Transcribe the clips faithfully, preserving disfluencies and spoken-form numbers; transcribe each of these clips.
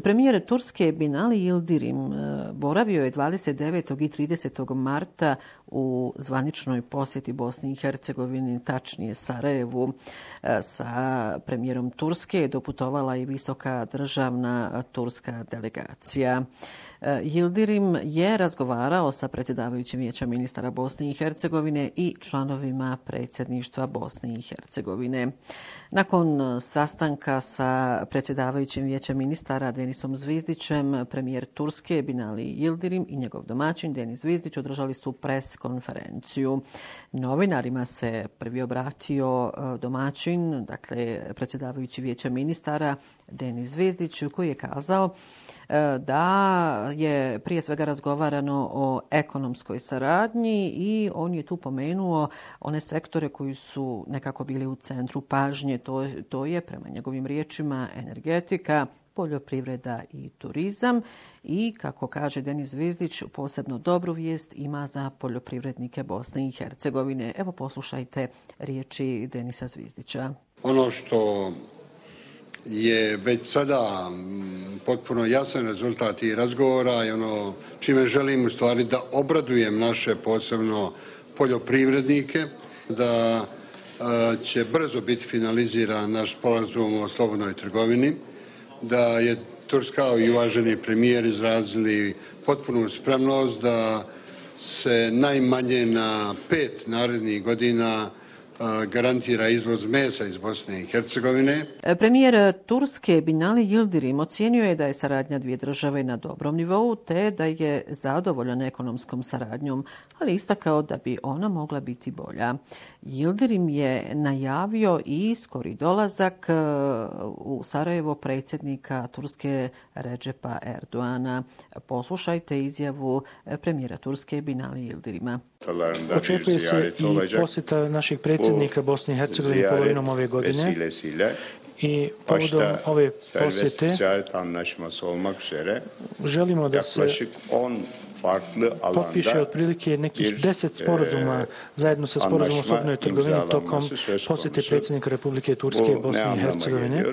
Premijer Turske Binali Yildirim boravio je dvadeset devetog i tridesetog marta u zvaničnoj posjeti Bosni i Hercegovini, tačnije Sarajevu. Sa premijerom Turske je doputovala i visoka državna turska delegacija. Yildirim je razgovarao sa predsjedavajućim Vijeća ministara Bosne i Hercegovine i članovima predsjedništva Bosne i Hercegovine. Nakon sastanka sa predsjedavajućim Vijeća ministara Denisom Zvizdićem, premijer Turske Binali Yildirim i njegov domaćin Denis Zvizdić održali su pres konferenciju. Novinarima se prvi obratio domaćin, dakle predsjedavajući Vijeća ministara Denis Zvizdić, koji je kazao da je prije svega razgovarano o ekonomskoj saradnji i on je tu pomenuo one sektore koji su nekako bili u centru pažnje. To, to je prema njegovim riječima energetika, poljoprivreda i turizam i, kako kaže Denis Zvizdić, posebno dobru vijest ima za poljoprivrednike Bosne i Hercegovine. Evo poslušajte riječi Denisa Zvizdića. Ono što je već sada potpuno jasan rezultat i razgovora i ono čime želim u stvari da obradujem naše posebno poljoprivrednike, da će brzo biti finaliziran naš sporazum o slobodnoj trgovini, da je Turska i uvaženi premijer izrazili potpunu spremnost da se najmanje na pet narednih godina garantira izvoz mesa iz Bosne i Hercegovine. Premijer Turske Binali Yildirim ocijenio je da je saradnja dvije države na dobrom nivou te da je zadovoljan ekonomskom saradnjom, ali istakao da bi ona mogla biti bolja. Yildirim je najavio i skori dolazak u Sarajevo predsjednika Turske Recepa Erdoana. Poslušajte izjavu premijera Turske Binali Yildirima. Očekuje se i posjeta našeg predsjednika Bosne i Hercegovine polovinom ove godine i povodom ove posjete želimo da se potpiše otprilike nekih deset sporazuma zajedno sa sporazumom o slobodnoj trgovini tokom posjete predsjednika Republike Turske Bosne i Hercegovine.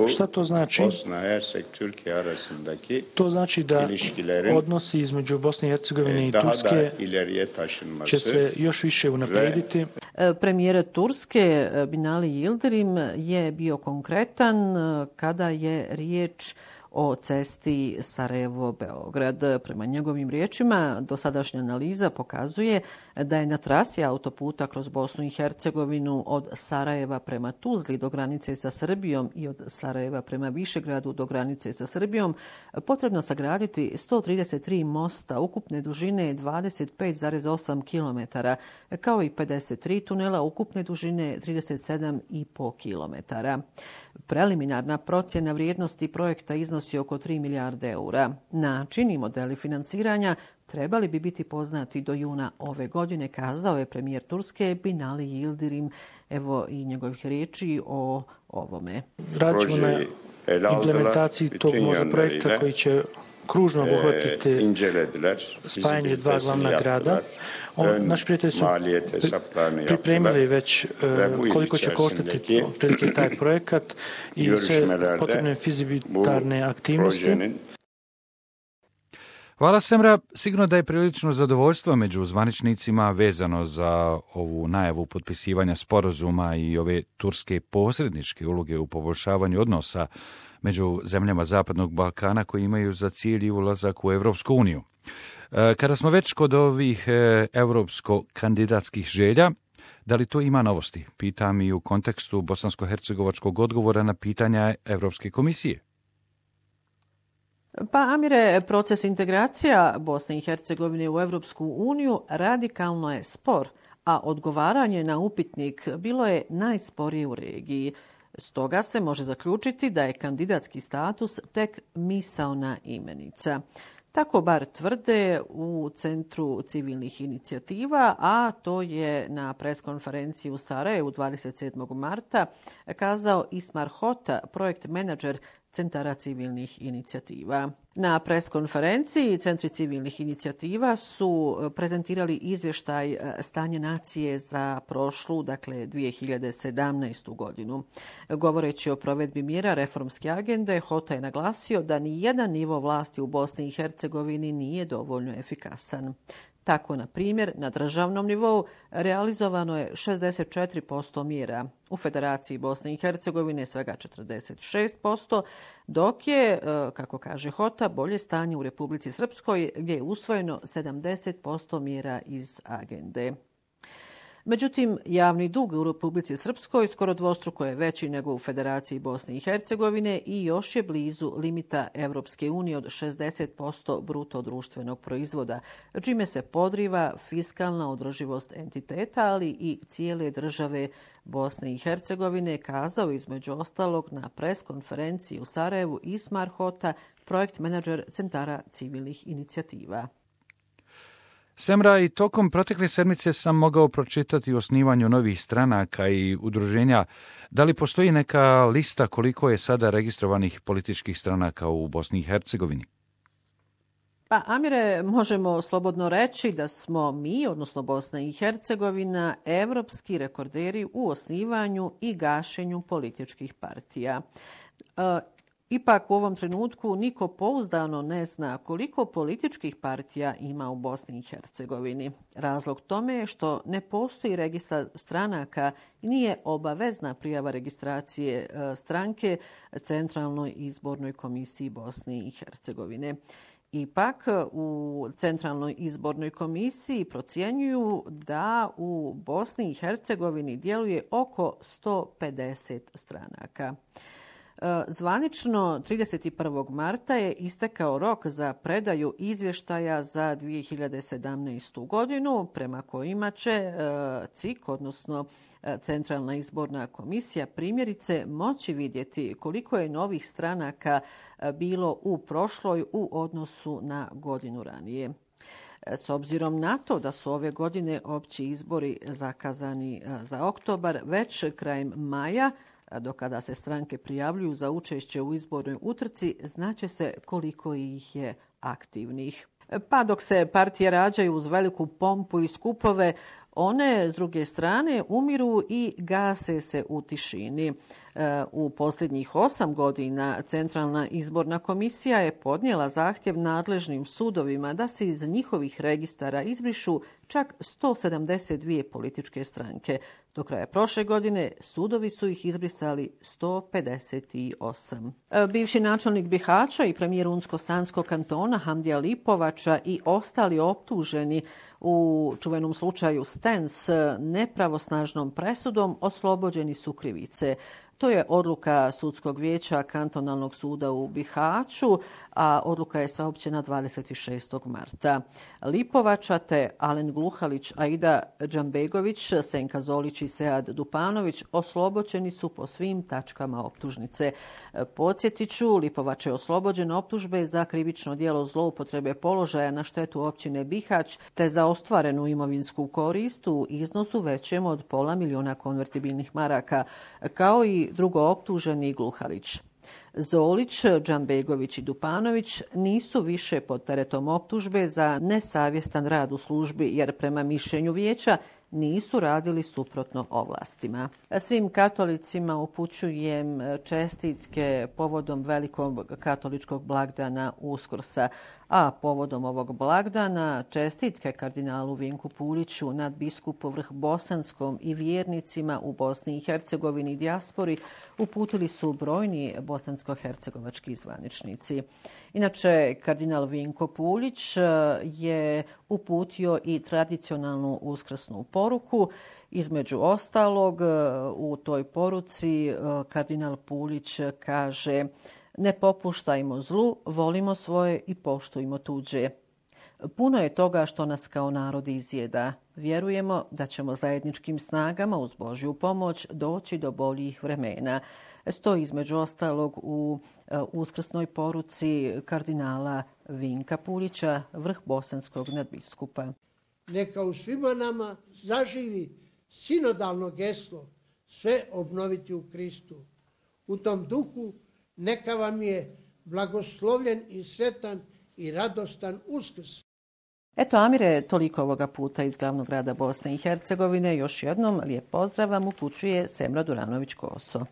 Šta to znači? To znači da odnosi između Bosne i Hercegovine i Turske će se još više unaprijediti. Premijer Turske Binali Yildirim je bio konkretan kada je riječ o cesti Sarajevo-Beograd. Prema njegovim riječima, dosadašnja analiza pokazuje da je na trasi autoputa kroz Bosnu i Hercegovinu od Sarajeva prema Tuzli do granice sa Srbijom i od Sarajeva prema Višegradu do granice sa Srbijom potrebno sagraditi sto trideset tri mosta ukupne dužine dvadeset pet zarez osam kilometara, kao i pedeset tri tunela ukupne dužine trideset sedam zarez pet kilometara. Preliminarna procjena vrijednosti projekta iznosi oko tri milijarde eura. Način i modeli financiranja trebali bi biti poznati do juna ove godine, kazao je premijer Turske Binali Yildirim. Evo i njegovih riječi o ovome. Radimo na implementaciji tog možda projekta koji će kružno obuhvatiti spajanje dva glavna grada. On, naši prijatelji su pripremili već uh, koliko će koštati otprilike taj projekat i sve potrebne fizibilitarne aktivnosti. Hvala Semra. Sigurno da je prilično zadovoljstvo među zvaničnicima vezano za ovu najavu potpisivanja sporazuma i ove turske posredničke uloge u poboljšavanju odnosa među zemljama Zapadnog Balkana koji imaju za cilj i ulazak u Evropsku uniju. Kada smo već kod ovih evropsko-kandidatskih želja, da li to ima novosti? Pitam i u kontekstu bosansko-hercegovačkog odgovora na pitanja Evropske komisije. Pa, Amire, proces integracija Bosne i Hercegovine u Evropsku uniju radikalno je spor, a odgovaranje na upitnik bilo je najsporije u regiji. Stoga se može zaključiti da je kandidatski status tek misaona imenica. Tako bar tvrde u Centru civilnih inicijativa, a to je na preskonferenciji u Sarajevu dvadeset sedmog marta kazao Ismar Hota, projekt menadžer centara civilnih inicijativa. Na preskonferenciji Centri civilnih inicijativa su prezentirali izvještaj stanje nacije za prošlu, dakle dvije hiljade sedamnaestu godinu. Govoreći o provedbi mjera reformske agende, Hota je naglasio da ni jedan nivo vlasti u Bosni i Hercegovini nije dovoljno efikasan. Tako, na primjer, na državnom nivou realizovano je šezdeset četiri posto mjera, u Federaciji Bosne i Hercegovine svega četrdeset šest posto, dok je, kako kaže Hota, bolje stanje u Republici Srpskoj gdje je usvojeno sedamdeset posto mjera iz agende. Međutim, javni dug u Republici Srpskoj skoro dvostruko je veći nego u Federaciji Bosne i Hercegovine i još je blizu limita Evropske unije od šezdeset posto bruto društvenog proizvoda, čime se podriva fiskalna održivost entiteta, ali i cijele države Bosne i Hercegovine, kazao između ostalog na preskonferenciji u Sarajevu Ismar Hota, projekt menadžer Centara civilnih inicijativa. Semra, i tokom protekle sedmice sam mogao pročitati o osnivanju novih stranaka i udruženja. Da li postoji neka lista koliko je sada registrovanih političkih stranaka u Bosni i Hercegovini? Pa, Amire, možemo slobodno reći da smo mi, odnosno Bosna i Hercegovina, evropski rekorderi u osnivanju i gašenju političkih partija. E, Ipak u ovom trenutku niko pouzdano ne zna koliko političkih partija ima u Bosni i Hercegovini. Razlog tome je što ne postoji registar stranaka i nije obavezna prijava registracije stranke Centralnoj izbornoj komisiji Bosne i Hercegovine. Ipak u Centralnoj izbornoj komisiji procjenjuju da u Bosni i Hercegovini djeluje oko sto pedeset stranaka. Zvanično trideset prvog marta je istekao rok za predaju izvještaja za dvije hiljade sedamnaestu godinu, prema kojima će C I K, odnosno Centralna izborna komisija, primjerice moći vidjeti koliko je novih stranaka bilo u prošloj u odnosu na godinu ranije. S obzirom na to da su ove godine opći izbori zakazani za oktobar, već krajem maja, do kada se stranke prijavljuju za učešće u izbornoj utrci, znaće se koliko ih je aktivnih. Pa dok se partije rađaju uz veliku pompu i skupove, one, s druge strane, umiru i gase se u tišini. U posljednjih osam godina Centralna izborna komisija je podnijela zahtjev nadležnim sudovima da se iz njihovih registara izbrišu čak sto sedamdeset dvije političke stranke. Do kraja prošle godine sudovi su ih izbrisali sto pedeset osam. Bivši načelnik Bihaća i premijer Unsko-Sanskog kantona Hamdija Lipovača i ostali optuženi u čuvenom slučaju Stens nepravosnažnom presudom oslobođeni su krivice. To je odluka Sudskog vijeća Kantonalnog suda u Bihaću, a odluka je saopćena dvadeset šestog marta. Lipovača te Alen Gluhalić, Aida Džambegović, Senka Zolić i Sead Dupanović oslobođeni su po svim tačkama optužnice. Podsjetiću, Lipovač je oslobođen optužbe za krivično djelo zloupotrebe položaja na štetu općine Bihać te za ostvarenu imovinsku korist u iznosu većem od pola miliona konvertibilnih maraka, kao i drugo optuženi Gluhalić. Zolić, Džambegović i Dupanović nisu više pod teretom optužbe za nesavjestan rad u službi, jer prema mišljenju vijeća nisu radili suprotno ovlastima. Svim katolicima upućujem čestitke povodom velikog katoličkog blagdana Uskrsa, a povodom ovog blagdana čestitke kardinalu Vinku Puliću, nadbiskupu Vrhbosanskom i vjernicima u Bosni i Hercegovini i dijaspori uputili su brojni bosansko-hercegovački zvaničnici. Inače, kardinal Vinko Pulić je uputio i tradicionalnu uskrsnu poruku. Između ostalog, u toj poruci kardinal Pulić kaže: ne popuštajmo zlu, volimo svoje i poštujmo tuđe. Puno je toga što nas kao narod izjeda. Vjerujemo da ćemo zajedničkim snagama uz Božju pomoć doći do boljih vremena. Stoji između ostalog u uskrsnoj poruci kardinala Vinka Pulića, vrhbosanskog nadbiskupa. Neka u svima nama zaživi sinodalno geslo sve obnoviti u Kristu. U tom duhu Neka vam je blagoslovljen i sretan i radostan Uskrs. Eto, Amire, toliko ovoga puta iz glavnog grada Bosne i Hercegovine. Još jednom lijep pozdrav vam upućuje Semra Duranović-Koso.